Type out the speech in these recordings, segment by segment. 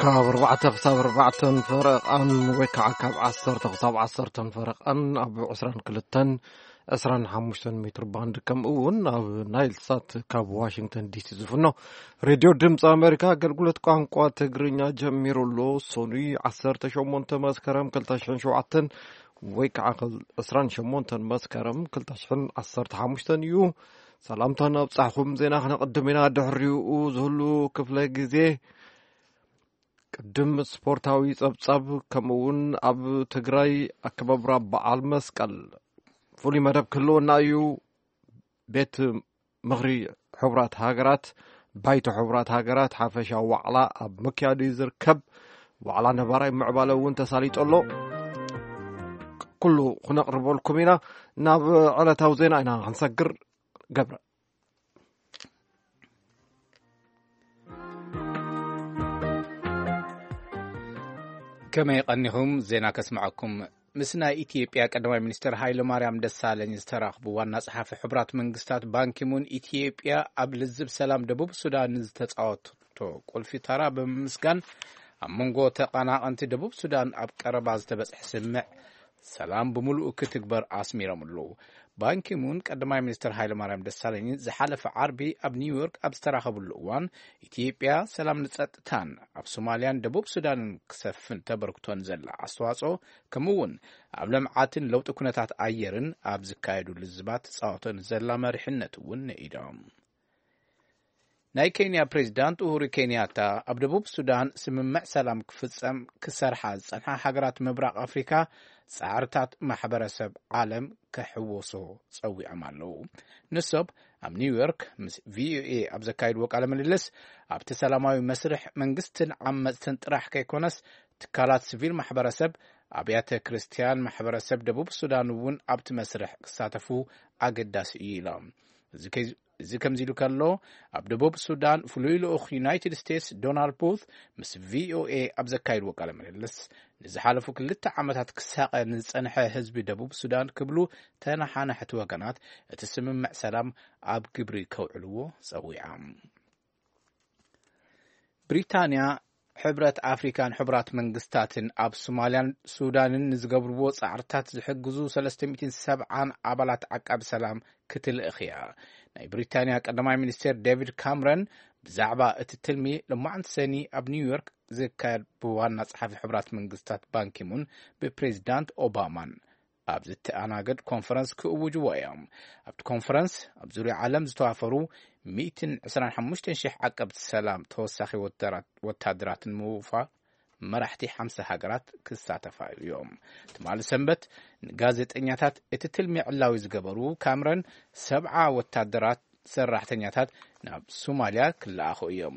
ካብ ኣርባዕተ ክሳብ ኣርባዕተን ፈረቓን ወይ ከዓ ካብ ዓሰርተ ክሳብ ዓሰርተን ፈረቓን ኣብ ዕስራን ክልተን ዕስራን ሓሙሽተን ሜትር ባንድ፣ ከምኡ እውን ኣብ ናይል ሳት ካብ ዋሽንግተን ዲሲ ዝፍኖ ሬድዮ ድምፂ ኣሜሪካ ኣገልግሎት ቋንቋ ትግርኛ ጀሚሩ ኣሎ። ሰኑይ ዓሰርተ ሸሞንተ መስከረም ክልተ ሽሕን ሸውዓተን ወይ ከዓ ዕስራን ሸሞንተን መስከረም ክልተ ሽሕን ዓሰርተ ሓሙሽተን እዩ። ሰላምታ ናብ ጻሕኹም ዜና ክነቕድም ኢና። ድሕሪኡ ዝህሉ ክፍለ ግዜ ቅድም ስፖርታዊ ጸብጻብ፣ ከምኡ እውን ኣብ ትግራይ ኣከባብራ በዓል መስቀል ፍሉይ መደብ ክህልወና እዩ። ቤት ምኽሪ ሕቡራት ሃገራት፣ ባይቶ ሕቡራት ሃገራት ሓፈሻዊ ዋዕላ ኣብ ምክያዱ እዩ ዝርከብ። ዋዕላ ነባራይ ምዕባለ እውን ተሳሊጡ ኣሎ። ኩሉ ክነቕርበልኩም ኢና። ናብ ዕለታዊ ዜና ኢና ክንሰግር። ገብረ። ከመይ ቀኒኹም? ዜና ከስምዐኩም። ምስ ናይ ኢትዮጵያ ቀዳማይ ሚኒስትር ሃይለ ማርያም ደሳለኝ ዝተራኽቡ ዋና ጸሓፊ ሕቡራት መንግስታት ባንኪሙን፣ ኢትዮጵያ ኣብ ልዝብ ሰላም ደቡብ ሱዳን ዝተጻወተቶ ቁልፊ ተራ ብምምስጋን፣ ኣብ መንጎ ተቐናቐንቲ ደቡብ ሱዳን ኣብ ቀረባ ዝተበጽሐ ስምምዕ ሰላም ብምሉኡ ክትግበር ኣስሚሮም ኣለዉ። ባንኪሙን ቀዳማይ ሚኒስትር ሃይለ ማርያም ደሳለኝን ዝሓለፈ ዓርቢ ኣብ ኒውዮርክ ኣብ ዝተራኸብሉ እዋን፣ ኢትዮጵያ ሰላም ንጸጥታን ኣብ ሶማልያን ደቡብ ሱዳንን ክሰፍን ተበርክቶን ዘላ ኣስተዋጽኦ፣ ከምኡ እውን ኣብ ልምዓትን ለውጢ ኩነታት ኣየርን ኣብ ዝካየዱ ልዝባት ትጻወቶን ዘላ መሪሕነት እውን ንኢዶም። ናይ ኬንያ ፕሬዚዳንት ኡሁሩ ኬንያታ፣ ኣብ ደቡብ ሱዳን ስምምዕ ሰላም ክፍጸም ክሰርሓ ዝጸንሓ ሃገራት ምብራቕ ኣፍሪካ ጻዕርታት ማሕበረሰብ ዓለም ክሕወሶ ጸዊዖም ኣለዉ። ንሶብ ኣብ ኒውዮርክ ምስ ቪኦኤ ኣብ ዘካየድዎ ቃለ ምልልስ፣ ኣብቲ ሰላማዊ መስርሕ መንግስትን ዓመፅትን ጥራሕ ከይኮነስ፣ ትካላት ሲቪል ማሕበረሰብ፣ ኣብያተ ክርስቲያን ማሕበረሰብ ደቡብ ሱዳን እውን ኣብቲ መስርሕ ክሳተፉ ኣገዳሲ እዩ ኢሎም። እዚ ከይ-፣ እዚ ከምዚ ኢሉ ከሎ፣ ኣብ ደቡብ ሱዳን ፍሉይ ልኡኽ ዩናይትድ ስቴትስ ዶናልድ ቡት ምስ ቪኦኤ ኣብ ዘካየድዎ ቃለ ምልልስ፣ ንዝሓለፉ ክልተ ዓመታት ክሳቐ ንዝጸንሐ ህዝቢ ደቡብ ሱዳን ክብሉ፣ ተነሓናሕቲ ወገናት እቲ ስምምዕ ሰላም ኣብ ግብሪ ከውዕልዎ ጸዊዖም። ብሪታንያ፣ ሕብረት ኣፍሪካን ሕቡራት መንግስታትን ኣብ ሶማልያን ሱዳንን ንዝገብርዎ ጻዕርታት ዝሕግዙ ሰለስተ ሚእትን ሰብዓን ኣባላት ዓቃቢ ሰላም ክትልእኽ እያ። ናይ ብሪታንያ ቀዳማይ ሚኒስቴር ዴቪድ ካምረን ብዛዕባ እቲ ትልሚ፣ ሎማዕንቲ ሰኒ ኣብ ኒውዮርክ ዝካየድ ብዋና ጸሓፊ ሕቡራት መንግስታት ባንኪሙን ብፕሬዚዳንት ኦባማን ኣብ ዝተኣናገድ ኮንፈረንስ ክእውጅዎ እዮም። ኣብቲ ኮንፈረንስ ኣብ ዙርያ ዓለም ዝተዋፈሩ ሚእትን ዕስራን ሓሙሽተን ሽሕ ዓቀብቲ ሰላም ተወሳኺ ወተራ-፣ ወታደራት ንምውፋር መራሕቲ ሓምሳ ሃገራት ክሳተፋ እዮም። ትማሊ ሰንበት ንጋዜጠኛታት እቲ ትልሚ ዕላዊ ዝገበሩ ካምረን፣ ሰብዓ ወታደራት ሰራሕተኛታት ናብ ሶማልያ ክለኣኹ እዮም።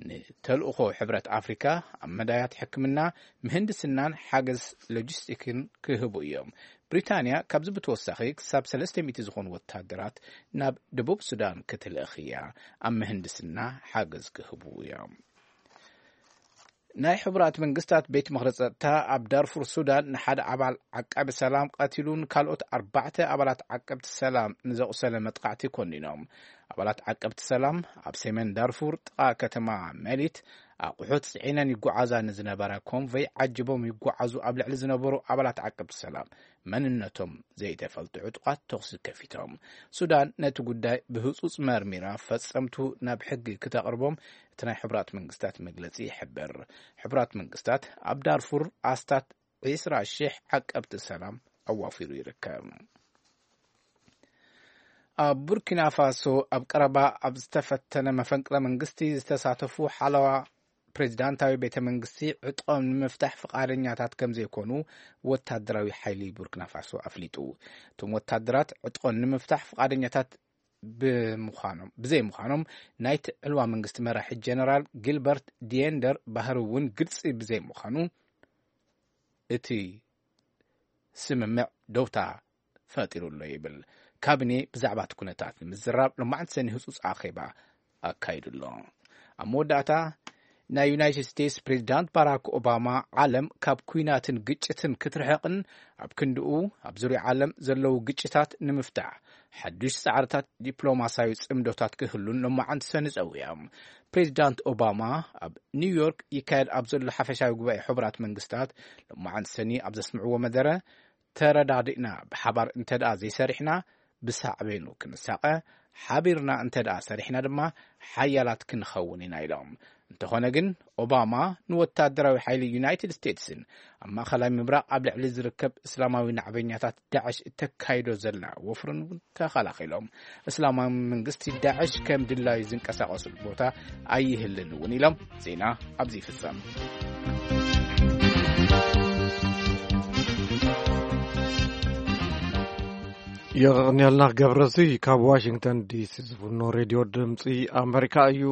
ንተልእኾ ሕብረት ኣፍሪካ ኣብ መዳያት ሕክምና፣ ምህንድስናን ሓገዝ ሎጂስቲክን ክህቡ እዮም። ብሪታንያ ካብዚ ብተወሳኺ ክሳብ ሰለስተ ሚእቲ ዝኾኑ ወታደራት ናብ ደቡብ ሱዳን ክትልእኽ እያ። ኣብ ምህንድስና ሓገዝ ክህቡ እዮም። ናይ ሕቡራት መንግስታት ቤት ምኽሪ ጸጥታ ኣብ ዳርፉር ሱዳን ንሓደ ኣባል ዓቃቢ ሰላም ቀቲሉን ካልኦት ኣርባዕተ ኣባላት ዓቀብቲ ሰላም ንዘቑሰለ መጥቃዕቲ ኮኒኖም። ኣባላት ዓቀብቲ ሰላም ኣብ ሰሜን ዳርፉር ጥቓ ከተማ መሊት ኣቑሑት ጽዒነን ይጓዓዛ ንዝነበራ ኮንቮይ ዓጅቦም ይጓዓዙ ኣብ ልዕሊ ዝነበሩ ኣባላት ዓቀብቲ ሰላም መንነቶም ዘይተፈልጡ ዕጡቓት ተኹሲ ከፊቶም። ሱዳን ነቲ ጉዳይ ብህጹጽ መርሚራ ፈጸምቱ ናብ ሕጊ ክተቕርቦም እቲ ናይ ሕቡራት መንግስታት መግለጺ ይሕብር። ሕቡራት መንግስታት ኣብ ዳርፉር ኣስታት ዕስራ ሽሕ ዓቀብቲ ሰላም ኣዋፊሩ ይርከብ። ኣብ ቡርኪና ፋሶ ኣብ ቀረባ ኣብ ዝተፈተነ መፈንቅለ መንግስቲ ዝተሳተፉ ሓለዋ ፕሬዚዳንታዊ ቤተ መንግስቲ ዕጥቆም ንምፍታሕ ፍቓደኛታት ከም ዘይኮኑ ወታደራዊ ሓይሊ ቡርኪና ፋሶ ኣፍሊጡ። እቶም ወታደራት ዕጥቆም ንምፍታሕ ፍቓደኛታት ብምዃኖም፣ ብዘይምዃኖም ናይቲ ዕልዋ መንግስቲ መራሒ ጀነራል ጊልበርት ዲየንደር ባህሪ እውን ግልጺ ብዘይምዃኑ፣ እቲ ስምምዕ ደውታ ፈጢሩ ኣሎ ይብል። ካቢኔ ብዛዕባ እቲ ኩነታት ንምዝራብ ሎማዕንቲ ሰኒ ህጹጽ ኣኼባ ኣካይዱ ኣሎ። ኣብ መወዳእታ፣ ናይ ዩናይትድ ስቴትስ ፕሬዚዳንት ባራክ ኦባማ፣ ዓለም ካብ ኲናትን ግጭትን ክትርሕቕን ኣብ ክንድኡ ኣብ ዙርያ ዓለም ዘለዉ ግጭታት ንምፍታሕ ሓዱሽ ጻዕርታት ዲፕሎማስያዊ ጽምዶታት ክህሉን ሎማዓንቲ ሰኒ ጸዊዖም። ፕሬዚዳንት ኦባማ ኣብ ኒውዮርክ ይካየድ ኣብ ዘሎ ሓፈሻዊ ጉባኤ ሕቡራት መንግስታት ሎማዓንቲ ሰኒ ኣብ ዘስምዕዎ መደረ፣ ተረዳዲእና ብሓባር እንተ ደኣ ዘይሰሪሕና ብሳዕቤኑ ክንሳቐ፣ ሓቢርና እንተ ደኣ ሰሪሕና ድማ ሓያላት ክንኸውን ኢና ኢሎም። እንተኾነ ግን ኦባማ ንወታደራዊ ሓይሊ ዩናይትድ ስቴትስን ኣብ ማእኸላይ ምብራቕ ኣብ ልዕሊ ዝርከብ እስላማዊ ናዕበኛታት ዳዕሽ እተካይዶ ዘላ ወፍርን እውን ተኸላኺሎም። እስላማዊ መንግስቲ ዳዕሽ ከም ድላዩ ዝንቀሳቐሱሉ ቦታ ኣይህልን እውን ኢሎም። ዜና ኣብዚ ይፍጸም። የቐንየልና ገብረዚ ካብ ዋሽንግተን ዲሲ ዝፍኖ ሬድዮ ድምፂ ኣመሪካ እዩ።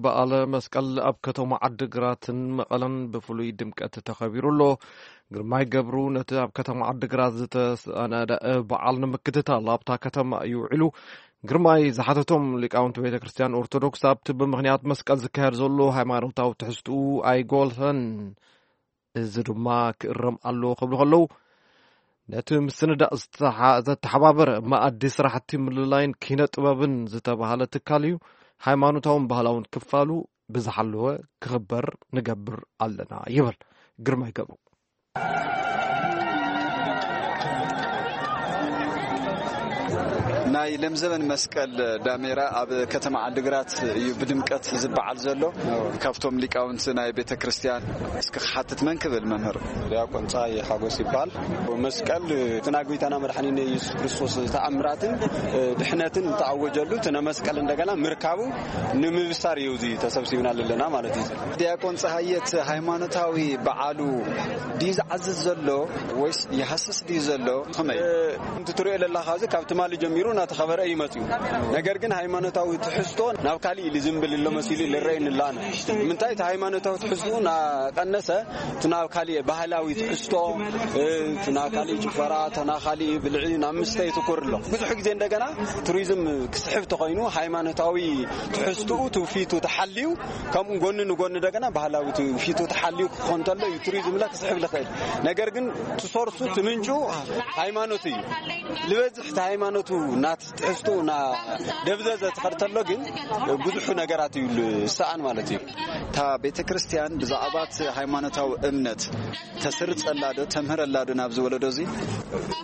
በዓለ መስቀል ኣብ ከተማ ዓድግራትን መቐለን ብፍሉይ ድምቀት ተኸቢሩ ኣሎ። ግርማይ ገብሩ ነቲ ኣብ ከተማ ዓድግራት ዝተሰናደአ በዓል ንምክትታል ኣብታ ከተማ እዩ ውዒሉ። ግርማይ ዝሓተቶም ሊቃውንቲ ቤተ ክርስቲያን ኦርቶዶክስ ኣብቲ ብምኽንያት መስቀል ዝካየድ ዘሎ ሃይማኖታዊ ትሕዝትኡ ኣይጎልህን፣ እዚ ድማ ክእረም ኣለዎ ክብሉ ከለዉ፣ ነቲ ምስንዳእ ዝተሓ- ዘተሓባበረ መኣዲ ስራሕቲ ምልላይን ኪነ ጥበብን ዝተባህለ ትካል እዩ። ሃይማኖታውን ባህላውን ክፋሉ ብዝሓለወ ክኽበር ንገብር ኣለና ይብል ግርማይ ገብሩ። ናይ ለምዘበን መስቀል ዳሜራ ኣብ ከተማ ዓድግራት እዩ ብድምቀት ዝበዓል ዘሎ። ካብቶም ሊቃውንቲ ናይ ቤተ ክርስቲያን እስኪ ክሓትት መን ክብል መምህር? ዲያቆን ፀሃየ ሓጎስ ይበሃል። መስቀል እቲ ናይ ጎይታና መድሓኒነ ኢየሱስ ክርስቶስ ተኣምራትን ድሕነትን ተኣወጀሉ እቲ መስቀል እንደገና ምርካቡ ንምብሳር እዩ እዚ ተሰብሲብና ዘለና ማለት እዩ። ዲያቆን ፀሃየ እቲ ሃይማኖታዊ በዓሉ ድዩ ዝዓዝዝ ዘሎ ወይስ ይሃስስ ድዩ ዘሎ? ከመይ? ከምቲ ትሪኦ ዘለኻ እዚ ካብ ትማሊ ጀሚሩ እናተኸበረ እዩ መፅዩ። ነገር ግን ሃይማኖታዊ ትሕዝቶ ናብ ካሊእ ኢሉ ዝንብል ኣሎ መሲሉ ይረኣየኒ ኣሎ ኣነ። ምንታይ እቲ ሃይማኖታዊ ትሕዝቶ እናቀነሰ እቲ ናብ ካሊእ ባህላዊ ትሕዝቶ፣ እቲ ናብ ካሊእ ጭፈራ፣ እቲ ናብ ካሊእ ብልዒ ናብ ምስተ ይትኩር ኣሎ። ብዙሕ ግዜ እንደገና ቱሪዝም ክስሕብ ተኾይኑ ሃይማኖታዊ ትሕዝትኡ ትውፊቱ ተሓልዩ ከምኡ ጎኒ ንጎኒ እንደገና ባህላዊ ትውፊቱ ተሓልዩ ክኾን እንተሎ እዩ ቱሪዝም ላ ክስሕብ ልኽእል። ነገር ግን ትሰርሱ ትምንጩ ሃይማኖት እዩ። ልበዝሕ እቲ ሃይማኖቱ ናት ትሕዝትኡ ና ደብዘዘ ትኸድ ተሎ ግን ብዙሑ ነገራት እዩ ዝሰኣን ማለት እዩ። እታ ቤተ ክርስቲያን ብዛዕባ እቲ ሃይማኖታዊ እምነት ተስርጸላ ዶ ተምህረላ ዶ ናብዚ ወለዶ እዚ?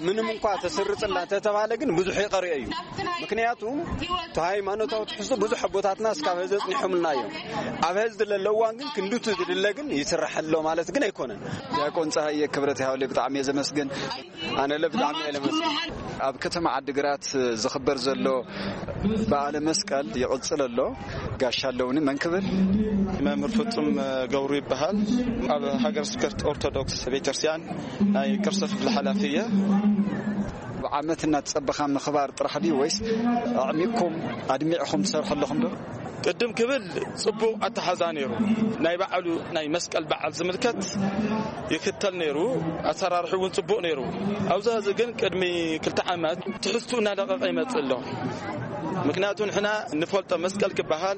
ምንም እንኳ ተስርጽላ እንተተባህለ ግን ብዙሕ ይቐርኦ እዩ። ምክንያቱ እቲ ሃይማኖታዊ ትሕዝቶ ብዙሕ ኣቦታትና እስካብ ሀዚ ኣጽኒሖምልና እዮም። ኣብ ሀዚ ዘለለዋ ግን ክንዱቲ ዝድለ ግን ይስራሕ ኣሎ ማለት ግን ኣይኮነን። ዲያቆን ፀሃየ ክብረት ይሃብለይ ብጣዕሚ እየ ዘመስግን። ኣነ ለ ብጣዕሚ እየ ለመስግን። ኣብ ከተማ ዓድግራት ዝኽበር ዘሎ በዓለ መስቀል ይቕፅል ኣሎ። ጋሻ ኣለውኒ መን ክብል? መምህር ፍጹም ገብሩ ይበሃል። ኣብ ሃገር ስብከት ኦርቶዶክስ ቤተክርስትያን ናይ ቅርሲ ክፍሊ ሓላፊ እየ። ብዓመት እናተጸበኻ ምኽባር ጥራሕ ድዩ ወይስ ኣዕሚቕኩም ኣድሚዕኹም ትሰርሑ ኣለኹም ዶ? ቅድም ክብል ጽቡቕ ኣተሓዛ ነይሩ። ናይ በዓሉ ናይ መስቀል በዓል ዝምልከት ይክተል ነይሩ። ኣሰራርሑ እውን ጽቡቕ ነይሩ። ኣብዚ ሕዚ ግን ቅድሚ ክልተ ዓመት ትሕዝቱ እናለቐቐ ይመጽእ ኣሎ። ምክንያቱ ንሕና ንፈልጦ መስቀል ክበሃል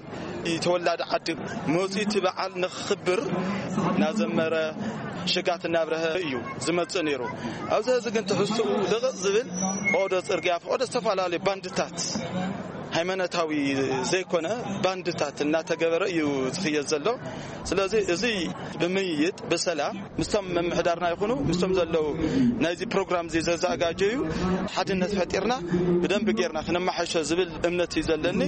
ተወላዲ ዓዲ መፂኡ እቲ በዓል ንክኽብር እናዘመረ ሽጋት እናብረሀ እዩ ዝመፅእ ነይሩ። ኣብዚ ሕዚ ግን ትሕዝትኡ ልቕቕ ዝብል ፈቐዶ ፅርግያ ፈቐዶ ዝተፈላለዩ ባንድታት ሃይማኖታዊ ዘይኮነ ባንድታት እናተገበረ እዩ ዝኽየድ ዘሎ። ስለዚ እዚ ብምይይጥ ብሰላም ምስቶም ምምሕዳርና ይኹኑ ምስቶም ዘለዉ ናይዚ ፕሮግራም እዚ ዘዘጋጀዩ ሓድነት ፈጢርና ብደንቢ ጌርና ክነመሓይሾ ዝብል እምነት እዩ ዘለኒ።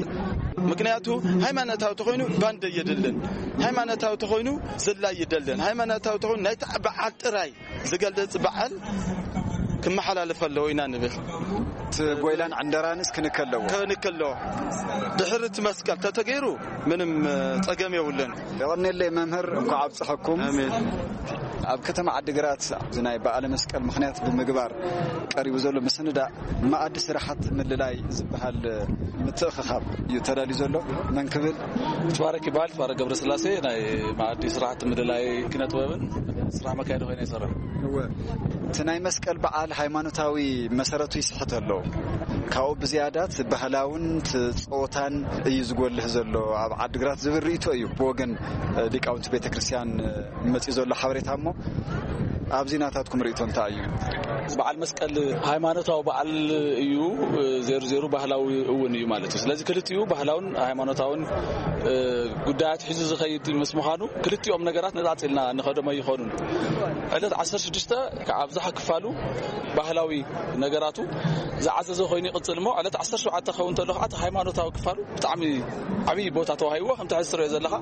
ምክንያቱ ሃይማኖታዊ ተኾይኑ ባንድ የድልን፣ ሃይማኖታዊ ተኾይኑ ዝላይ ይደልን፣ ሃይማኖታዊ ተኾይኑ ናይቲ በዓል ጥራይ ዝገልጽ በዓል ክመሓላለፍ ኣለዎ ኢና ንብል። እቲ ጎይላን ዕንደራንስ ክንከለዎ? ክንከለዎ። ድሕሪ እቲ መስቀል ተተገይሩ ምንም ጸገም የብሉን። የቐኔለይ መምህር፣ እንኳዕ ኣብፀሐኩም። ኣሜን። ኣብ ከተማ ዓዲግራት እዚ ናይ በዓለ መስቀል ምኽንያት ብምግባር ቀሪቡ ዘሎ ምስንዳእ መኣዲ ስራሓት ምልላይ ዝበሃል ምትእኽኻብ እዩ ተዳልዩ ዘሎ። መን ክብል? ትባረክ ይበሃል። ትባረክ ገብረስላሴ ናይ መኣዲ ስራሕቲ ምልላይ ኪነ ጥበብን ስራሕ መካየዲ ኮይነ ይሰርሕ። እቲ ናይ መስቀል በዓል ሃይማኖታዊ መሰረቱ ይስሕት ኣሎ። ካብኡ ብዝያዳ እቲ ባህላውን እቲ ጸወታን እዩ ዝጎልህ ዘሎ ኣብ ዓድግራት ዝብል ርእይቶ እዩ ብወገን ሊቃውንቲ ቤተክርስትያን መጺኡ ዘሎ ሓበሬታ። እሞ ኣብዚ ናታትኩም ርእይቶ እንታይ እዩ? በዓል መስቀል ሃይማኖታዊ በዓል እዩ። ዜሩ ዜሩ ባህላዊ እውን እዩ ማለት እዩ። ስለዚ ክልቲኡ ባህላውን ሃይማኖታውን ጉዳያት ሒዙ ዝኸይድ ምስ ምዃኑ፣ ክልቲኦም ነገራት ነጻጺልና ንኸዶም ኣይኾኑን። ዕለት ዓሰርተ ሽዱሽተ ካብ ኣብዝሓ ክፋሉ ባህላዊ ነገራቱ ዝዓዘዘ ኮይኑ ይቕጽል። እሞ ዕለት ዓሰርተ ሸውዓተ ክኸውን እንተሎ ከዓ እቲ ሃይማኖታዊ ክፋሉ ብጣዕሚ ዓብዪ ቦታ ተዋሂብዎ። ከምቲ ሕዚ ትሪኦ ዘለኻ፣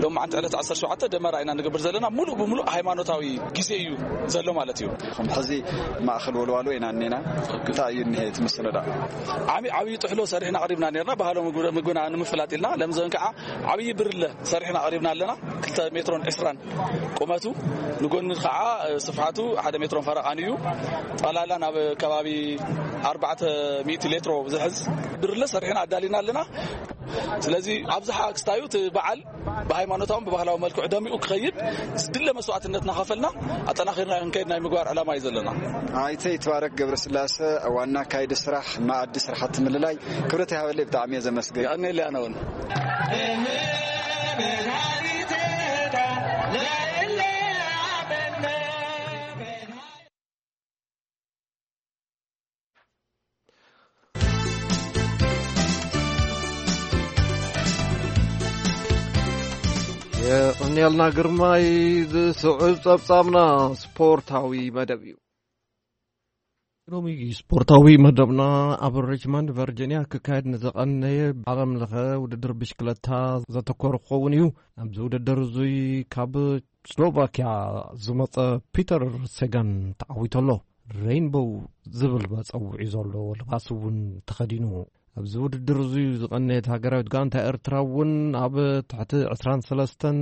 ሎማዓንቲ ዕለት ዓሰርተ ሸውዓተ ደመራ ኢና ንገብር ዘለና። ሙሉእ ብሙሉእ ሃይማኖታዊ ግዜ እዩ ዘሎ ማለት እዩ። ሕዚ ማእኸል ወልዋሎ ኢና እኒና። እንታይ እዩ እኒሄ እቲ ምስንዳእ? ዓብዪ ዓብዪ ጥሕሎ ሰሪሕና ኣቕሪብና ነርና፣ ባህላዊ ምግቢ- ምግብና ንምፍላጥ ኢልና። ለምዘን ከዓ ዓብዪ ብርለ ሰሪሕና ኣቕሪብና ኣለና። ክልተ ሜትሮን ዕስራን ቁመቱ፣ ንጎኒ ከዓ ስፍሓቱ ሓደ ሜትሮን ፈረቓን እዩ። ጠላላ ናብ ከባቢ ኣርባዕተ ሚእቲ ሌትሮ ዝሕዝ ብርለ ሰሪሕና ኣዳሊና ኣለና። ስለዚ ኣብዝሓ ክስታዩ እቲ በዓል ብሃይማኖታውን ብባህላዊ መልክዑ ደሚቑ ክኸይድ ዝድለ መስዋዕትነት እናኸፈልና ኣጠናኺርና ክንከይድ ናይ ምግባር ዕላማ እዩ ዘለና። ኣይተ ይትባረክ ገብረስላሰ፣ ዋና ኣካይዲ ስራሕ መኣዲ ስራሕቲ ምልላይ፣ ክብረት ይሃበለይ፣ ብጣዕሚ እየ ዘመስግን። የቐንየለይ ኣነ እውን። የቐንየልና ግርማይ። ዝስዕብ ጸብጻብና ስፖርታዊ መደብ እዩ። ሎሚ ስፖርታዊ መደብና ኣብ ሪችመንድ ቨርጂኒያ ክካየድ ንዝቐነየ ዓለም ለኸ ውድድር ብሽክለታ ዘተኮረ ክኸውን እዩ። ኣብዚ ውድድር እዙይ ካብ ስሎቫኪያ ዝመጸ ፒተር ሴጋን ተዓዊቱ ኣሎ። ሬይንቦው ዝብል መጸውዒ ዘለዎ ልባስ እውን ተኸዲኑ። ኣብዚ ውድድር እዙይ ዝቐነየት ሃገራዊት ጋንታ ኤርትራ እውን ኣብ ትሕቲ ዕስራን ሰለስተን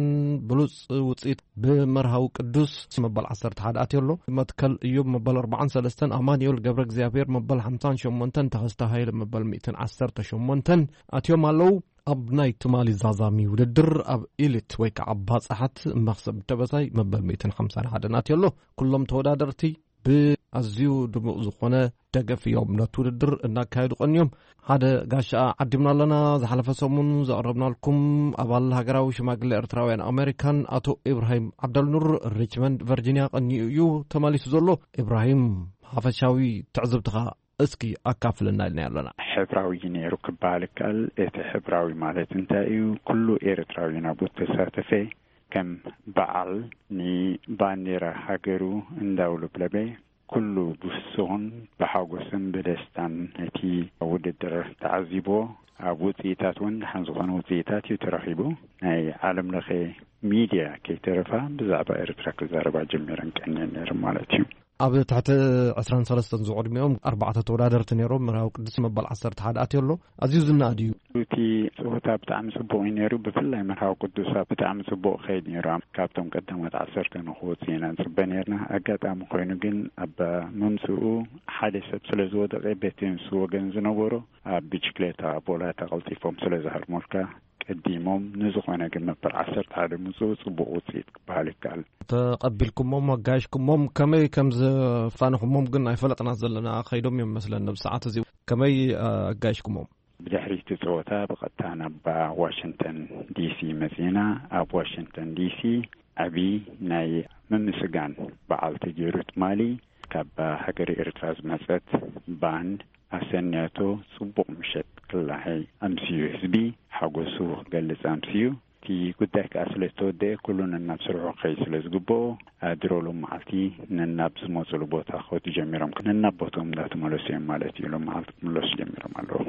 ብሉጽ ውጽኢት ብመርሃዊ ቅዱስ መበል ዓሰርተ ሓደ ኣትዮ ኣሎ። መትከል እዮብ መበል ኣርባዓን ሰለስተን፣ ኣማኑኤል ገብረ እግዚኣብሔር መበል ሓምሳን ሸሞንተን፣ ተኸስተ ሃይለ መበል ሚእትን ዓሰርተ ሸሞንተን ኣትዮም ኣለዉ። ኣብ ናይ ትማሊ ዛዛሚ ውድድር ኣብ ኢሊት ወይ ከዓ ባጽሓት መኽሰብ ደበሳይ መበል ሚእትን ሓምሳን ሓደን ኣትዮ ኣሎ። ኩሎም ተወዳደርቲ ብኣዝዩ ድሙቕ ዝኾነ ደገፍ እዮም ነቲ ውድድር እናካየዱ ቀንዮም። ሓደ ጋሻ ዓዲምና ኣለና። ዝሓለፈ ሰሙን ዘቕረብናልኩም ኣባል ሃገራዊ ሽማግለ ኤርትራውያን ኣሜሪካን ኣቶ ኢብራሂም ዓብደልኑር ሪችመንድ ቨርጂኒያ ቀንዩ እዩ ተመሊሱ ዘሎ። ኢብራሂም፣ ሓፈሻዊ ትዕዝብትኻ እስኪ ኣካፍለና ኢልና ኣለና። ሕብራዊ ነይሩ ክበሃል ይከኣል። እቲ ሕብራዊ ማለት እንታይ እዩ? ኩሉ ኤርትራዊ ናብኡ ተሳተፈ። ከም በዓል ንባንዴራ ሃገሩ እንዳውለብለበ፣ ኩሉ ብፍስኹን ብሓጎስን ብደስታን ነቲ ውድድር ተዓዚቦ። ኣብ ውፅኢታት እውን ደሓን ዝኾነ ውፅኢታት እዩ ተረኺቡ። ናይ ዓለም ለኸ ሚድያ ከይተረፋ ብዛዕባ ኤርትራ ክዛረባ ጀሚረን ቀንየን ነይረን ማለት እዩ። ኣብ ትሕቲ ዕስራን ሰለስተን ዝዕድሚኦም ኣርባዕተ ተወዳደርቲ ነይሮም። መርሃዊ ቅዱስ መበል ዓሰርተ ሓደ ኣትዮ ኣሎ። ኣዝዩ ዝነኣድ እዩ። እቲ ፀወታ ብጣዕሚ ፅቡቕ እዩ ነይሩ። ብፍላይ መርሃዊ ቅዱስ ኣብ ብጣዕሚ ፅቡቕ ከይድ ነይሩ። ካብቶም ቀዳሞት ዓሰርተ ንክወፁ ኢና ንፅበ ነይርና። ኣጋጣሚ ኮይኑ ግን ኣብ ምምፅኡ ሓደ ሰብ ስለ ዝወደቐ፣ በቲ ምስ ወገን ዝነበሮ ኣብ ብሽክሌታ ቦላታ ቀልጢፎም ስለ ዝሃርሙልካ፣ ቀዲሞም ንዝኾነ ግን መበል ዓሰርተ ሓደ ምፅኡ ፅቡቕ ውፅኢት ክበሃል ይከኣል። ተቐቢልኩሞም፣ ኣጋይሽኩሞም፣ ከመይ ከም ዘፋንኹሞም ግን ኣይፈለጥና ዘለና። ከይዶም እዮም መስለን። ኣብ ሰዓት እዚ ከመይ ኣጋይሽኩሞም? ብድሕሪ እቲ ፀወታ ብቐጥታ ናብ ዋሽንግተን ዲሲ መፂና። ኣብ ዋሽንግተን ዲሲ ዓቢ ናይ ምምስጋን በዓል ተገይሩ ትማሊ። ካብ ሃገረ ኤርትራ ዝመጸት ባንድ ኣሰንያቶ ጽቡቕ ምሸት ክላሃይ ኣምስዩ። ህዝቢ ሓጎሱ ክገልጽ ኣምስዩ። እቲ ጉዳይ ከኣ ስለ ዝተወደአ፣ ኩሉ ነናብ ስርሑ ክኸይድ ስለ ዝግብኦ፣ ኣድሮ ሎም መዓልቲ ነናብ ዝመጹሉ ቦታ ክኸዱ ጀሚሮም። ነናብ ቦትኦም እንዳተመለሱ እዮም ማለት እዩ። ሎም መዓልቲ ክምለሱ ጀሚሮም ኣለዉ።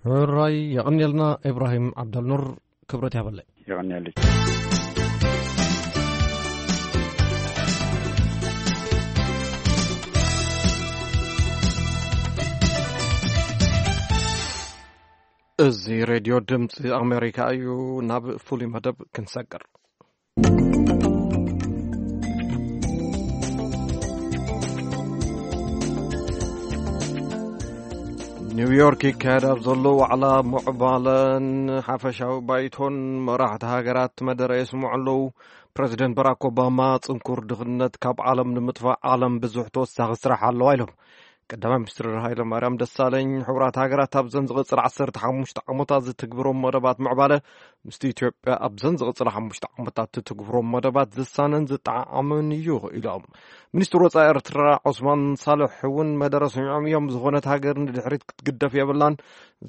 ሕራይ የቐንየልና ኢብራሂም ዓብደልኑር። ክብረት ያበለይ። የቐንየለይ። እዚ ሬድዮ ድምፂ ኣሜሪካ እዩ። ናብ ፍሉይ መደብ ክንሰግር። ኒውዮርክ ይካየድ ኣብ ዘሎ ዋዕላ ምዕባለን ሓፈሻዊ ባይቶን መራሕቲ ሃገራት መደረ የስምዑ ኣለዉ። ፕረዚደንት ባራክ ኦባማ፣ ጽንኩር ድኽነት ካብ ዓለም ንምጥፋእ ዓለም ብዙሕ ተወሳኺ ስራሕ ኣለዋ ኢሎም። ቀዳማይ ሚኒስትር ሃይለ ማርያም ደሳለኝ፣ ሕቡራት ሃገራት ኣብዘን ዝቕጽል ዓሰርተ ሓሙሽተ ዓመታት ዝትግብሮም መደባት ምዕባለ ምስቲ ኢትዮጵያ ኣብዘን ዝቕጽል ሓሙሽተ ዓመታት ትትግብሮም መደባት ዝሳነን ዝጠዓዓምን እዩ ኢሎም። ሚኒስትር ወጻኢ ኤርትራ ዑስማን ሳልሕ እውን መደረ ሰሚዖም እዮም። ዝኾነት ሃገር ንድሕሪት ክትግደፍ የብላን፣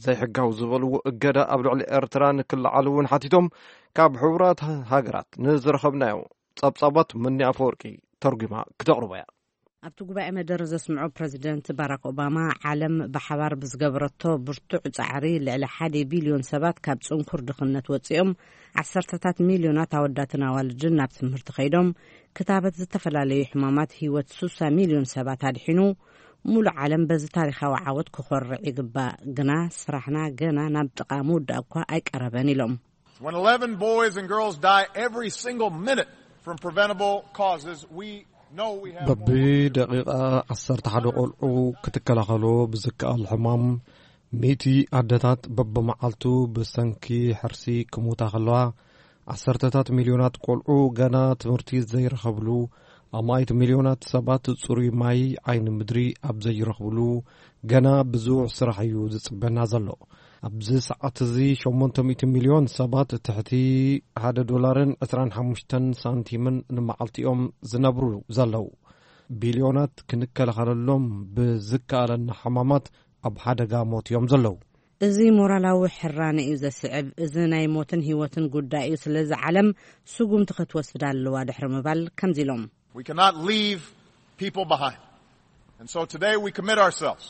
ዘይሕጋዊ ዝበልዎ እገዳ ኣብ ልዕሊ ኤርትራ ንክለዓል እውን ሓቲቶም። ካብ ሕቡራት ሃገራት ንዝረኸብናዮ ጸብጻባት መኒ ኣፈወርቂ ተርጉማ ክተቕርቦ እያ። ኣብቲ ጉባኤ መደረ ዘስምዖ ፕረዚደንት ባራክ ኦባማ፣ ዓለም ብሓባር ብዝገበረቶ ብርቱዕ ጻዕሪ ልዕሊ ሓደ ቢልዮን ሰባት ካብ ጽንኩር ድኽነት ወጺኦም፣ ዓሰርተታት ሚልዮናት ኣወዳትን ኣዋልድን ናብ ትምህርቲ ከይዶም፣ ክታበት ዝተፈላለዩ ሕማማት ህይወት ሱሳ ሚልዮን ሰባት ኣድሒኑ፣ ሙሉእ ዓለም በዚ ታሪኻዊ ዓወት ክኾርዕ ይግባእ። ግና ስራሕና ገና ናብ ጥቓ ምውዳእ እኳ ኣይቀረበን ኢሎም። When eleven boys and girls die every single minute from preventable causes, we know we have more work to do. በብደቂቓ ዓሰርተ ሓደ ቆልዑ ክትከላኸሎ ብዝከኣል ሕማም፣ ሚእቲ ኣደታት በብመዓልቱ ብሰንኪ ሕርሲ ክሞታ ከለዋ፣ ዓሰርተታት ሚልዮናት ቆልዑ ገና ትምህርቲ ዘይረኸብሉ፣ ኣማኢት ሚልዮናት ሰባት ጽሩይ ማይ፣ ዓይኒ ምድሪ ኣብ ዘይረኽብሉ፣ ገና ብዙሕ ስራሕ እዩ ዝጽበና ዘሎ። ኣብዚ ሰዓት እዚ ሸሞንተ ሚእቲ ሚልዮን ሰባት ትሕቲ ሓደ ዶላርን ዕስራን ሓሙሽተን ሳንቲምን ንመዓልቲ እዮም ዝነብሩ ዘለዉ። ቢልዮናት ክንከላኸለሎም ብዝከኣለና ሕማማት ኣብ ሓደጋ ሞት እዮም ዘለዉ። እዚ ሞራላዊ ሕራነ እዩ ዘስዕብ። እዚ ናይ ሞትን ህይወትን ጉዳይ እዩ። ስለዚ ዓለም ስጉምቲ ክትወስድ ኣለዋ ድሕሪ ምባል ከምዚ ኢሎም። We cannot leave people behind. And so today we commit ourselves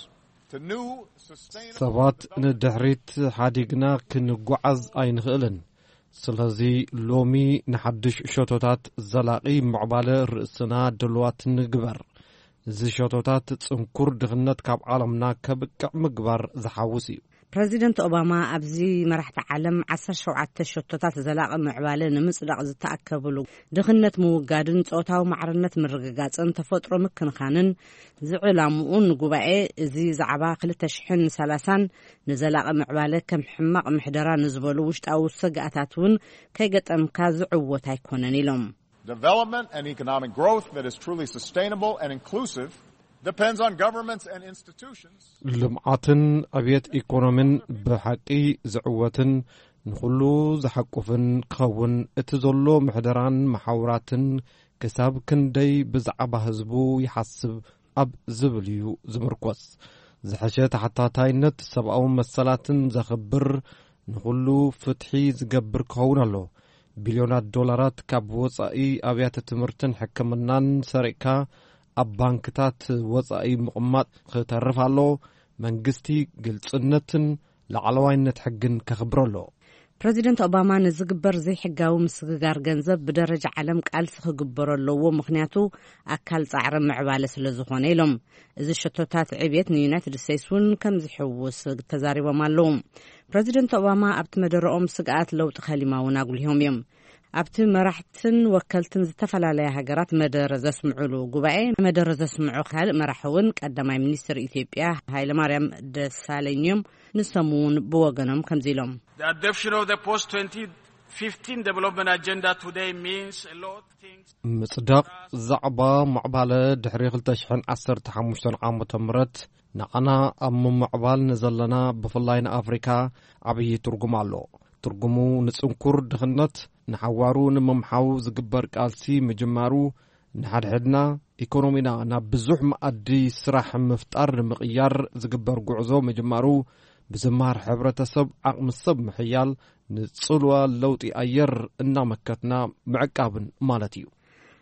to new sustainable ሰባት ንድሕሪት ሓዲግና ክንጓዓዝ ኣይንኽእልን። ስለዚ ሎሚ ንሓድሽ ሸቶታት ዘላቒ ምዕባለ ርእስና ድልዋት ንግበር። እዚ ሸቶታት ጽንኩር ድኽነት ካብ ዓለምና ከብቅዕ ምግባር ዝሓውስ እዩ። ፕረዚደንት ኦባማ ኣብዚ መራሕቲ ዓለም ዓሰርተ ሸውዓተ ሸቶታት ዘላቒ ምዕባለ ንምጽዳቕ ዝተኣከብሉ፣ ድኽነት ምውጋድን ጾታዊ ማዕርነት ምርግጋጽን ተፈጥሮ ምክንኻንን ዝዕላምኡ ንጉባኤ እዚ ዛዕባ ክልተ ሽሕን ሰላሳን ንዘላቒ ምዕባለ ከም ሕማቕ ምሕደራ ንዝበሉ ውሽጣዊ ስግኣታት እውን ከይገጠምካ ዝዕወት ኣይኮነን ኢሎም። Development and economic growth that is truly sustainable and inclusive depends on governments and institutions. ልምዓትን ዕብየት ኢኮኖሚን ብሓቂ ዝዕወትን ንኹሉ ዝሓቁፍን ክኸውን እቲ ዘሎ ምሕደራን መሓውራትን ክሳብ ክንደይ ብዛዕባ ህዝቡ ይሓስብ ኣብ ዝብል እዩ ዝምርኮስ። ዝሐሸ ተሓታታይነት ሰብኣዊ መሰላትን ዘኽብር ንኹሉ ፍትሒ ዝገብር ክኸውን ኣሎ። ቢልዮናት ዶላራት ካብ ወጻኢ ኣብያተ ትምህርትን ሕክምናን ሰሪቕካ ኣብ ባንክታት ወጻኢ ምቕማጥ ክተርፍ ኣሎ። መንግስቲ ግልጽነትን ላዕለዋይነት ሕግን ከኽብር ኣሎ። ፕረዚደንት ኦባማ ንዝግበር ዘይሕጋዊ ምስግጋር ገንዘብ ብደረጃ ዓለም ቃልሲ ክግበሮ ኣለዎ፣ ምኽንያቱ ኣካል ጻዕሪ ምዕባለ ስለ ዝኾነ ኢሎም። እዚ ሸቶታት ዕብየት ንዩናይትድ ስቴትስ እውን ከም ዝሕውስ ተዛሪቦም ኣለዉ። ፕረዚደንት ኦባማ ኣብቲ መደረኦም ስግኣት ለውጢ ከሊማ እውን ኣጉሊሆም እዮም። ኣብቲ መራሕትን ወከልትን ዝተፈላለያ ሃገራት መደረ ዘስምዑሉ ጉባኤ መደረ ዘስምዑ ካልእ መራሒ እውን ቀዳማይ ሚኒስትር ኢትዮጵያ ሃይለማርያም ደሳለኝ እዮም። ንሶም እውን ብወገኖም ከምዚ ኢሎም። The adoption of the post twenty fifteen development agenda today means a lot of things. ምጽዳቕ ዛዕባ ምዕባለ ድሕሪ ክልተ ሽሕን ዓሰርተ ሓሙሽተን ዓመተ ምህረት ንዓና ኣብ ምምዕባል ንዘለና ብፍላይ ንኣፍሪካ ዓብዪ ትርጉም ኣሎ። ትርጉሙ ንጽንኩር ድኽነት ንሓዋሩ ንምምሓው ዝግበር ቃልሲ ምጅማሩ፣ ንሓድሕድና ኢኮኖሚና ናብ ብዙሕ መኣዲ ስራሕ ምፍጣር ንምቕያር ዝግበር ጉዕዞ ምጅማሩ፣ ብዝምሃር ሕብረተሰብ ዓቕሚ ሰብ ምሕያል፣ ንጽልዋ ለውጢ ኣየር እናመከትና ምዕቃብን ማለት እዩ።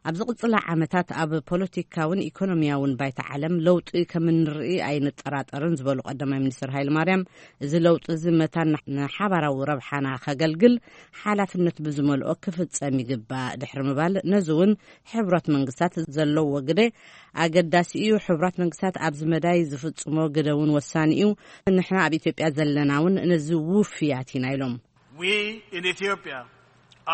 ኣብ ዝቕጽላ ዓመታት ኣብ ፖለቲካውን ኢኮኖሚያውን ባይታ ዓለም ለውጢ ከም እንርኢ ኣይንጠራጠርን ዝበሉ ቀዳማይ ሚኒስትር ሃይለማርያም፣ እዚ ለውጢ እዚ መታን ንሓባራዊ ረብሓና ከገልግል ሓላፍነት ብዝመልኦ ክፍጸም ይግባእ ድሕሪ ምባል፣ ነዚ እውን ሕቡራት መንግስታት ዘለዎ ግደ ኣገዳሲ እዩ። ሕቡራት መንግስታት ኣብዚ መዳይ ዝፍጽሞ ግደ እውን ወሳኒ እዩ። ንሕና ኣብ ኢትዮጵያ ዘለና እውን ነዚ ውፍያት ኢና ኢሎም። We in Ethiopia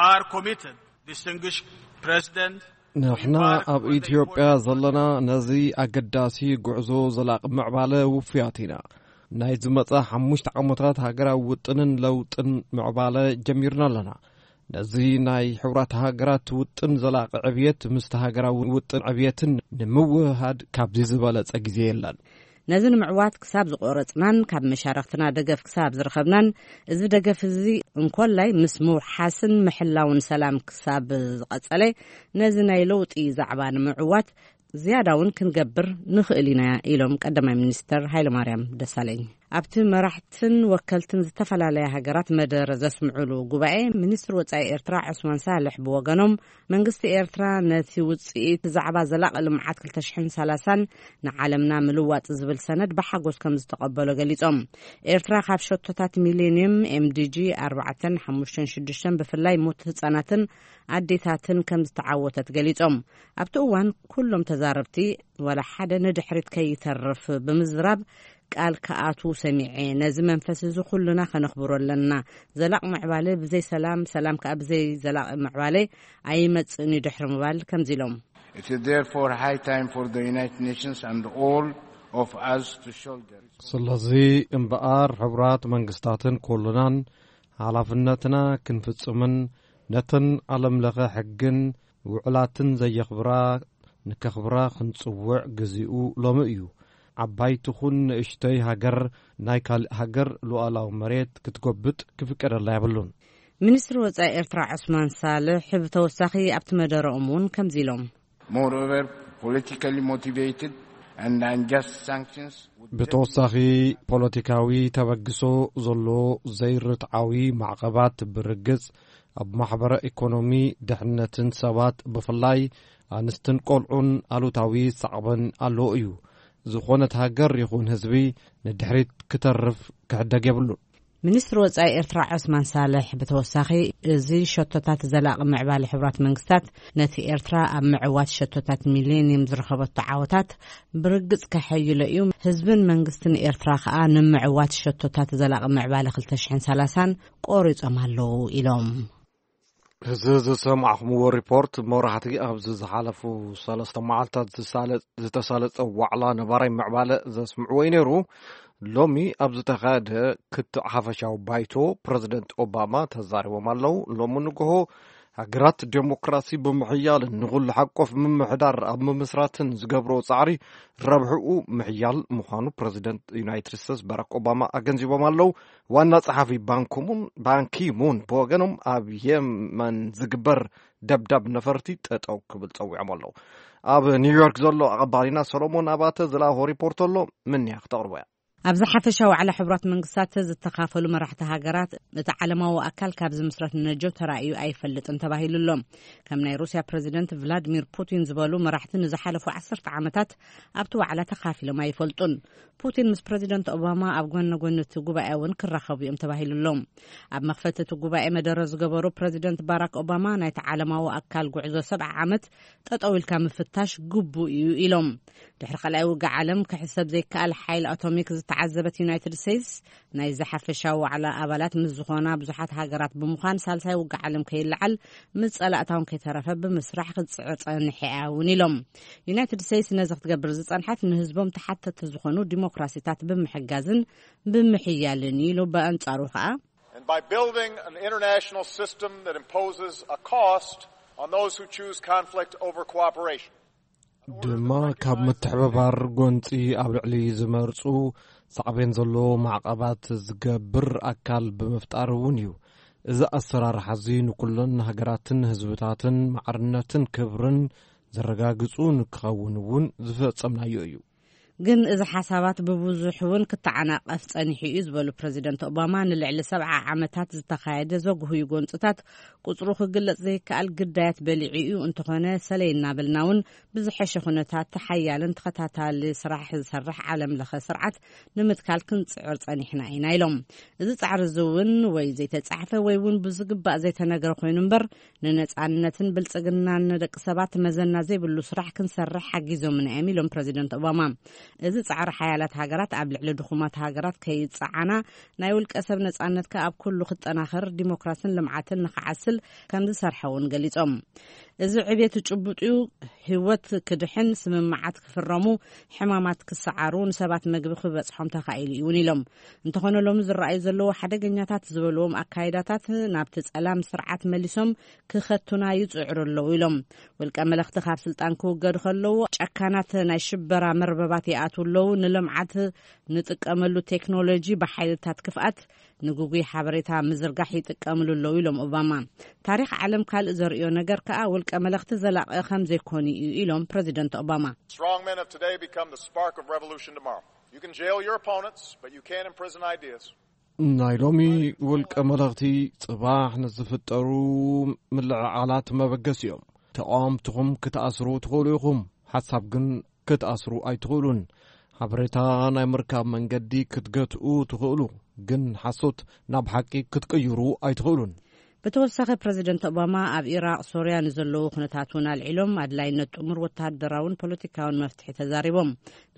are committed, distinguished President. ንሕና ኣብ ኢትዮጵያ ዘለና ነዚ ኣገዳሲ ጉዕዞ ዘላቒ ምዕባለ ውፉያት ኢና። ናይ ዝመጻ ሓሙሽተ ዓመታት ሃገራዊ ውጥንን ለውጥን ምዕባለ ጀሚርና ኣለና። ነዚ ናይ ሕቡራት ሃገራት ውጥን ዘላቒ ዕብየት ምስቲ ሃገራዊ ውጥን ዕብየትን ንምውህሃድ ካብዚ ዝበለጸ ግዜ የለን። ነዚ ንምዕዋት ክሳብ ዝቆረጽናን ካብ መሻርኽትና ደገፍ ክሳብ ዝረኸብናን፣ እዚ ደገፍ እዚ እንኮላይ ምስ ምውሓስን ምሕላውን ሰላም ክሳብ ዝቐጸለ፣ ነዚ ናይ ለውጢ ዛዕባ ንምዕዋት ዝያዳ እውን ክንገብር ንኽእል ኢና ኢሎም ቀዳማይ ሚኒስተር ሃይለማርያም ደሳለኝ። ኣብቲ መራሕትን ወከልትን ዝተፈላለያ ሃገራት መደረ ዘስምዑሉ ጉባኤ፣ ሚኒስትር ወጻኢ ኤርትራ ዑስማን ሳልሕ ብወገኖም፣ መንግስቲ ኤርትራ ነቲ ውጽኢት ዛዕባ ዘላቒ ልምዓት ክልተ ሽሕን ሰላሳን ንዓለምና ምልዋጥ ዝብል ሰነድ ብሓጎስ ከም ዝተቐበሎ ገሊጾም። ኤርትራ ካብ ሸቶታት ሚሌኒየም፣ ኤምዲጂ ኣርባዕተን ሓሙሽተን ሽዱሽተን፣ ብፍላይ ሞት ህጻናትን ኣዴታትን ከም ዝተዓወተት ገሊጾም። ኣብቲ እዋን ኩሎም ተዛረብቲ ዋላ ሓደ ንድሕሪት ከይተርፍ ብምዝራብ ቃል ክኣትዉ ሰሚዐ። ነዚ መንፈስ እዚ ኩልና ከነኽብሮ ኣለና። ዘላቕ ምዕባለ ብዘይ ሰላም፣ ሰላም ከኣ ብዘይ ዘላቕ ምዕባለ ኣይመጽእን እዩ ድሕሪ ምባል ከምዚ ኢሎም። It is therefore high time for the United Nations and all of us to shoulder. ስለዚ እምበኣር ሕቡራት መንግስታትን ኩሉናን ሓላፍነትና ክንፍጽምን ነተን ዓለም ለኸ ሕግን ውዕላትን ዘየኽብራ ንከኽብራ ክንጽውዕ ግዚኡ ሎሚ እዩ። ዓባይ ትኹን ንእሽተይ ሃገር ናይ ካልእ ሃገር ሉዓላዊ መሬት ክትጎብጥ ክፍቀደላ የብሉን። ሚኒስትሪ ወጻኢ ኤርትራ ዑስማን ሳልሕ ብተወሳኺ ኣብቲ መደረኦም እውን ከምዚ ኢሎም። Moreover, politically motivated and unjust sanctions would ብተወሳኺ ፖለቲካዊ ተበግሶ ዘሎ ዘይርትዓዊ ማዕቐባት ብርግጽ ኣብ ማሕበረ ኢኮኖሚ ድሕነትን ሰባት ብፍላይ ኣንስትን ቆልዑን ኣሉታዊ ሳዕበን ኣለዎ እዩ። ዝኾነት ሃገር ይኹን ህዝቢ ንድሕሪት ክተርፍ ክሕደግ የብሉን። ሚኒስትሪ ወጻኢ ኤርትራ ዑስማን ሳልሕ ብተወሳኺ እዚ ሸቶታት ዘላቒ ምዕባለ ሕቡራት መንግስታት ነቲ ኤርትራ ኣብ ምዕዋት ሸቶታት ሚሌኒየም ዝረኸበቶ ዓወታት ብርግጽ ከሐይሎ እዩ። ህዝብን መንግስትን ኤርትራ ከኣ ንምዕዋት ሸቶታት ዘላቒ ምዕባለ ክልተ ሽሕን ሰላሳን ቆሪጾም ኣለዉ ኢሎም። እዚ ዝሰማዕኹምዎ ሪፖርት መብራህቲ ኣብዚ ዝሓለፉ ሰለስተ መዓልታት ዝሳለ-፣ ዝተሳለጸ ዋዕላ ነባራይ ምዕባለ ዘስምዕዎ እዩ ነይሩ። ሎሚ ኣብ ዝተኻየደ ክትዕ ሓፈሻዊ ባይቶ ፕረዚደንት ኦባማ ተዛሪቦም ኣለዉ። ሎሚ ንግሆ ሃገራት ዴሞክራሲ ብምሕያልን ንኹሉ ሓቆፍ ምምሕዳር ኣብ ምምስራትን ዝገብርዎ ጻዕሪ ረብሕኡ ምሕያል ምዃኑ ፕረዚደንት ዩናይትድ ስቴትስ ባራክ ኦባማ ኣገንዚቦም ኣለዉ። ዋና ጸሓፊ ባንኪሙን፣ ባንኪሙን ብወገኖም ኣብ የመን ዝግበር ደብዳብ ነፈርቲ ጠጠው ክብል ጸዊዖም ኣለዉ። ኣብ ኒውዮርክ ዘሎ ኣቐባሊና ሰሎሞን ኣባተ ዝለኣኾ ሪፖርት ኣሎ፣ ምንያ ክተቕርቦ እያ። ኣብዚ ሓፈሻዊ ዋዕላ ሕቡራት መንግስታት ዝተኻፈሉ መራሕቲ ሃገራት፣ እቲ ዓለማዊ ኣካል ካብ ዝምስረት ንነጀው ተራእዩ ኣይፈልጥን ተባሂሉ ኣሎ። ከም ናይ ሩስያ ፕረዚደንት ቭላድሚር ፑቲን ዝበሉ መራሕቲ ንዝሓለፉ ዓሰርተ ዓመታት ኣብቲ ዋዕላ ተኻፊሎም ኣይፈልጡን። ፑቲን ምስ ፕረዚደንት ኦባማ ኣብ ጎነ ጎኒ እቲ ጉባኤ እውን ክራኸቡ እዮም ተባሂሉ ኣሎ። ኣብ መኽፈቲ እቲ ጉባኤ መደረ ዝገበሩ ፕረዚደንት ባራክ ኦባማ፣ ናይቲ ዓለማዊ ኣካል ጉዕዞ ሰብዓ ዓመት ጠጠው ኢልካ ምፍታሽ ግቡእ እዩ ኢሎም። ድሕሪ ካልኣይ ውግእ ዓለም ክሕሰብ ዘይከኣል ሓይሊ ኣቶሚክ ዝተዓዘበት ዩናይትድ ስቴትስ፣ ናይዚ ሓፈሻዊ ዋዕላ ኣባላት ምስ ዝኾና ብዙሓት ሃገራት ብምዃን፣ ሳልሳይ ውግእ ዓለም ከይለዓል፣ ምስ ጸላእታ እውን ከይተረፈ ብምስራሕ ክትጽዕር ጸኒሐ እያ እውን ኢሎም። ዩናይትድ ስቴትስ ነዚ ክትገብር ዝጸንሐት ንህዝቦም ተሓተቲ ዝኾኑ ዲሞክራሲታት ብምሕጋዝን ብምሕያልን እዩ ኢሉ። ብኣንጻሩ ከኣ And by building an international system that imposes a cost on those who choose conflict over cooperation. ድማ ካብ ምትሕብባር ጎንጺ ኣብ ልዕሊ ዝመርጹ ሳዕቤን ዘለዎ ማዕቐባት ዝገብር ኣካል ብምፍጣር እውን እዩ። እዚ ኣሰራርሓ እዚ ንኩለን ሃገራትን ህዝብታትን ማዕርነትን ክብርን ዘረጋግጹ ንክኸውን እውን ዝፈጸምናዮ እዩ። ግን እዚ ሓሳባት ብብዙሕ እውን ክተዓናቐፍ ጸኒሑ እዩ ዝበሉ ፕረዚደንት ኦባማ፣ ንልዕሊ ሰብዓ ዓመታት ዝተኻየደ ዘጉህዩ ጎንጽታት ቁጽሩ ክግለጽ ዘይከኣል ግዳያት በሊዑ እዩ። እንተኾነ፣ ሰለይ እናበልና እውን ብዝሐሸ ኩነታት ሓያልን ተኸታታሊ ስራሕ ዝሰርሕ ዓለም ለኸ ስርዓት ንምትካል ክንጽዕር ጸኒሕና ኢና ኢሎም። እዚ ጻዕሪ እዚ እውን ወይ ዘይተጻሕፈ ወይ እውን ብዝግባእ ዘይተነገረ ኮይኑ እምበር፣ ንነጻነትን ብልጽግናን ንደቂ ሰባት መዘና ዘይብሉ ስራሕ ክንሰርሕ ሓጊዞምና እዮም ኢሎም ፕረዚደንት ኦባማ። እዚ ጻዕሪ ሓያላት ሃገራት ኣብ ልዕሊ ድኹማት ሃገራት ከይጸዓና፣ ናይ ውልቀ ሰብ ነጻነት ከኣ ኣብ ኩሉ ክጠናኸር፣ ዲሞክራስን ልምዓትን ንኽዓስል ከም ዝሰርሐ እውን ገሊጾም። እዚ ዕቤት ጭቡጥ እዩ። ህይወት ክድሕን፣ ስምምዓት ክፍረሙ፣ ሕማማት ክሰዓሩ፣ ንሰባት መግቢ ክበጽሖም ተኻኢሉ እዩ እውን ኢሎም። እንተኾነ ሎሚ ዝረኣዩ ዘለዉ ሓደገኛታት ዝበልዎም ኣካይዳታት ናብቲ ጸላም ስርዓት መሊሶም ክኸቱና ይጽዕሩ ኣለዉ ኢሎም። ውልቀ መለኽቲ ካብ ስልጣን ክውገዱ ከለዉ ጨካናት ናይ ሽበራ መርበባት ይኣትዉ ኣለዉ፣ ንልምዓት ንጥቀመሉ ቴክኖሎጂ ብሓይልታት ክፍኣት ንግጉይ ሓበሬታ ምዝርጋሕ ይጥቀምሉ ኣለዉ ኢሎም ኦባማ። ታሪኽ ዓለም ካልእ ዘርእዮ ነገር ከኣ ውልቀ መለኽቲ ዘላቒ ከም ዘይኮኑ እዩ ኢሎም ፕረዚደንት ኦባማ። Strong men of today become the spark of revolution tomorrow. You can jail your opponents, but you can't imprison ideas. ናይ ሎሚ ውልቀ መለኽቲ ጽባሕ ንዝፍጠሩ ምልዕዓላት መበገሲ እዮም። ተቓወምትኹም ክትኣስሩ ትኽእሉ ኢኹም፣ ሓሳብ ግን ክትኣስሩ ኣይትኽእሉን። ሓበሬታ ናይ ምርካብ መንገዲ ክትገትኡ ትኽእሉ፣ ግን ሓሶት ናብ ሓቂ ክትቅይሩ ኣይትኽእሉን። ብተወሳኺ ፕረዚደንት ኦባማ ኣብ ኢራቕ፣ ሶርያ ንዘለዉ ኩነታት እውን ኣልዒሎም ኣድላይነት ጥሙር ወተሃደራውን ፖለቲካውን መፍትሒ ተዛሪቦም።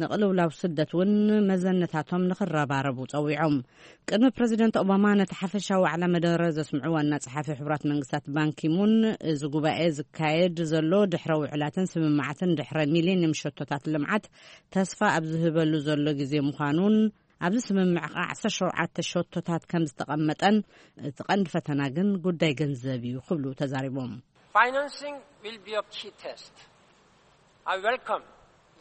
ንቅልውላው ስደት እውን መዘነታቶም ንኽረባረቡ ጸዊዖም። ቅድሚ ፕረዚደንት ኦባማ ነቲ ሓፈሻዊ ዋዕላ መደረ ዘስምዑ ዋና ጸሓፊ ሕቡራት መንግስታት ባንኪሙን፣ እዚ ጉባኤ ዝካየድ ዘሎ ድሕረ ውዕላትን ስምምዓትን ድሕረ ሚሌንየም ሸቶታት ልምዓት ተስፋ ኣብ ዝህበሉ ዘሎ ግዜ ምዃኑን ኣብዚ ስምምዕ ከኣ ዓሰርተ ሸውዓተ ሸቶታት ከም ዝተቐመጠን እቲ ቀንዲ ፈተና ግን ጉዳይ ገንዘብ እዩ ክብሉ ተዛሪቦም። Financing will be a key test. I welcome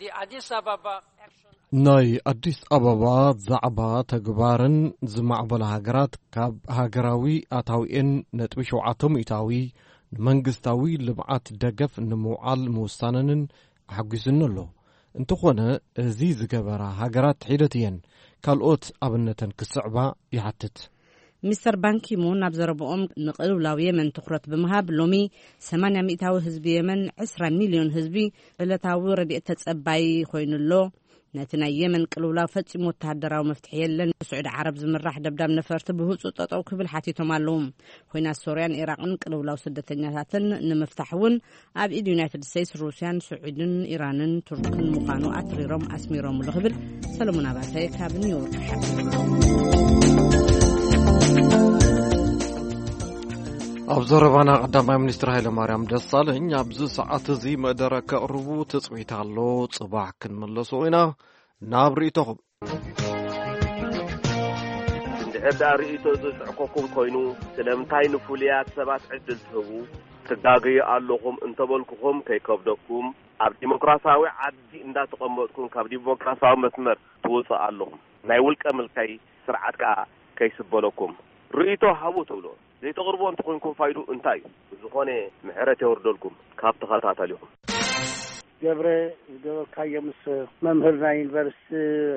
the Addis Ababa action. ናይ ኣዲስ ኣበባ ዛዕባ ተግባርን ዝማዕበላ ሃገራት ካብ ሃገራዊ ኣታዊኤን ነጥቢ ሸውዓተ ሚእታዊ ንመንግስታዊ ልምዓት ደገፍ ንምውዓል ምውሳነንን ኣሐጒስኒ ኣሎ። እንተኾነ እዚ ዝገበራ ሃገራት ሒደት እየን ካልኦት ኣብነተን ክስዕባ ይሓትት። ሚስተር ባንኪሙን ኣብ ዘረብኦም ንቅልውላው የመን ትኹረት ብምሃብ ሎሚ ሰማንያ ሚእታዊ ህዝቢ የመን፣ ዕስራ ሚልዮን ህዝቢ ዕለታዊ ረድኤት ተጸባይ ኮይኑ ኣሎ። ነቲ ናይ የመን ቅልውላው ፈጺሙ ወተሃደራዊ መፍትሒ የለን። ብስዑዲ ዓረብ ዝምራሕ ደብዳብ ነፈርቲ ብህጹጽ ጠጠው ክብል ሓቲቶም ኣለዉ። ኲናት ሶርያን ኢራቕን ቅልውላው ስደተኛታትን ንምፍታሕ እውን ኣብ ኢድ ዩናይትድ ስቴትስ፣ ሩስያን፣ ስዑድን፣ ኢራንን ቱርክን ምዃኑ ኣትሪሮም ኣስሚሮምሉ ክብል ሰለሞን ኣባተ ካብ ኒውዮርክ ሓቢሩ። ኣብ ዘረባና ቀዳማይ ሚኒስትር ሃይለማርያም ደሳለኝ ኣብዚ ሰዓት እዚ መደረ ከቕርቡ ትጽቢት ኣሎ። ጽባሕ ክንምለሶ ኢና ናብ ርእይቶኹም። እንድሕር ደኣ ርእይቶ ዘስዕቀኩም ኮይኑ፣ ስለምንታይ ንፍሉያት ሰባት ዕድል ትህቡ? ትጋገዩ ኣለኹም እንተበልኩኹም ከይከብደኩም፣ ኣብ ዲሞክራሲያዊ ዓዲ እንዳተቐመጥኩም ካብ ዲሞክራሲያዊ መስመር ትወጹ ኣለኹም። ናይ ውልቀ ምልካይ ስርዓት ከኣ ከይስበለኩም ርእይቶ ሃቡ ትብሎ። ዘይተቕርቦ እንተኾይንኩም ፋይዱ እንታይ እዩ? ብዝኾነ ምሕረት የውርደልኩም ካብ ተኸታተሊኹም። ገብረ፣ ዝገበርካዮ ምስ መምህር ናይ ዩኒቨርሲቲ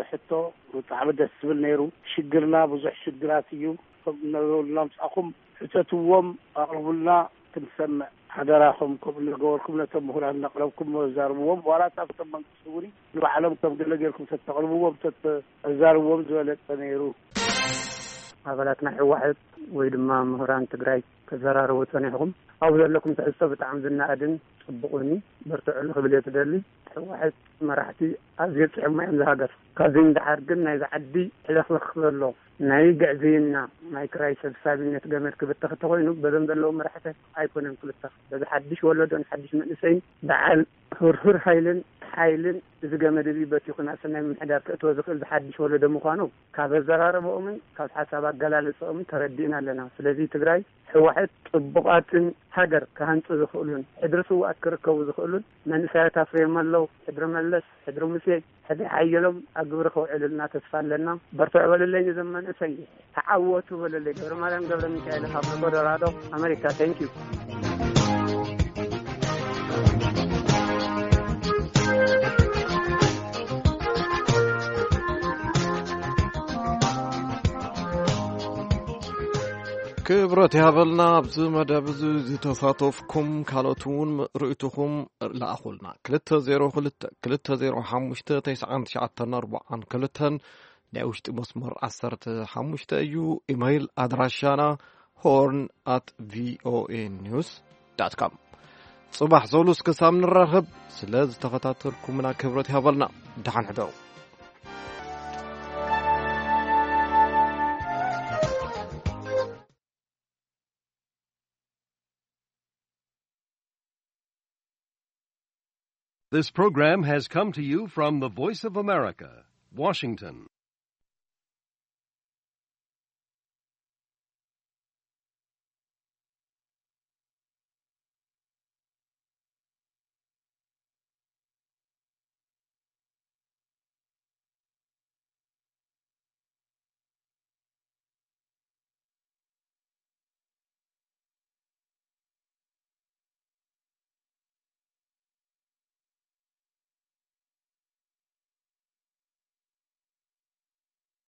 ሕቶ ብጣዕሚ ደስ ዝብል ነይሩ። ሽግርና ብዙሕ ሽግራት እዩ። ከም እነብረሉ ናምጻኹም ሕተትዎም፣ ኣቕርቡልና ክንሰምዕ ሓደራኹም። ከምኡ እናገበርኩም ነቶም ምሁራት እናቕረብኩም ዘዛርብዎም፣ ዋላ ኣብቶም መንግስቲ እውን ንባዕሎም ከም ገለ ጌርኩም ተተቕርብዎም፣ ተተዛርብዎም ዝበለጸ ነይሩ። ኣባላት ናይ ህወሓት ወይ ድማ ምሁራን ትግራይ ከዘራርቡ ጸኒሕኹም። ኣብኡ ዘለኩም ትሕዝቶ ብጣዕሚ ዝነኣድን ጽቡቕን እዩ። በርትዑ ክብል እየ ትደሊ። ህወሓት መራሕቲ ኣዝዮም ጽዕማ እዮም ዝሃገር። ካብዚ ንደሓር ግን ናይዚ ዓዲ ሕልኽልኽ ክበሎ ናይ ግዕዝይና፣ ናይ ክራይ ሰብሳቢነት ገመድ ክብተኽ እንተኾይኑ፣ በዞም ዘለዉ መራሕቲ ኣይኮነን ክብተኽ። በዚ ሓድሽ ወለዶን ሓድሽ መንእሰይን በዓል ህርህር ሃይልን ሓይልን እዚ ገመድ እዚ በቲኹ ናብ ሰናይ ምምሕዳር ከእትዎ ዝኽእል ዝሓድሽ ወለዶ ምዃኑ ካብ ኣዘራርባኦምን ካብ ሓሳብ ኣገላልጻኦምን ተረዲእና ኣለና። ስለዚ ትግራይ ህወሓት ጽቡቓትን ሃገር ክሃንጹ ዝኽእሉን ሕድሪ ስውኣት ክርከቡ ዝኽእሉን መንእሰያት ኣፍርዮም ኣለዉ። ሕድሪ መለስ፣ ሕድሪ ሙሴ፣ ሕድሪ ሓየሎም ኣብ ግብሪ ከውዕሉልና ተስፋ ኣለና። በርትዑ በሉለይ ነዞም መንእሰይ፣ ተዓወቱ በሉለይ። ገብረ ማርያም ገብረ ሚካኤል ካብ ኮሎራዶ ኣሜሪካ። Thank you። ክብረት ይሃበልና። ኣብዚ መደብ እዚ ዝተሳተፍኩም ካልኦት እውን ርእይቶኹም ለኣኹልና። ክልተ ዜሮ ክልተ ክልተ ዜሮ ሓሙሽተ ተስዓን ትሽዓተን ኣርባዓን ክልተን ናይ ውሽጢ መስመር ዓሰርተ ሓሙሽተ እዩ። ኢመይል ኣድራሻና ሆርን ኣት ቪኦኤ ኒውስ ዳት ኮም። ጽባሕ ሰሉስ ክሳብ ንራኸብ ስለ ዝተኸታተልኩምና ክብረት ይሃበልና። ደሓን ሕደሩ። This program has come to you from the Voice of America, Washington.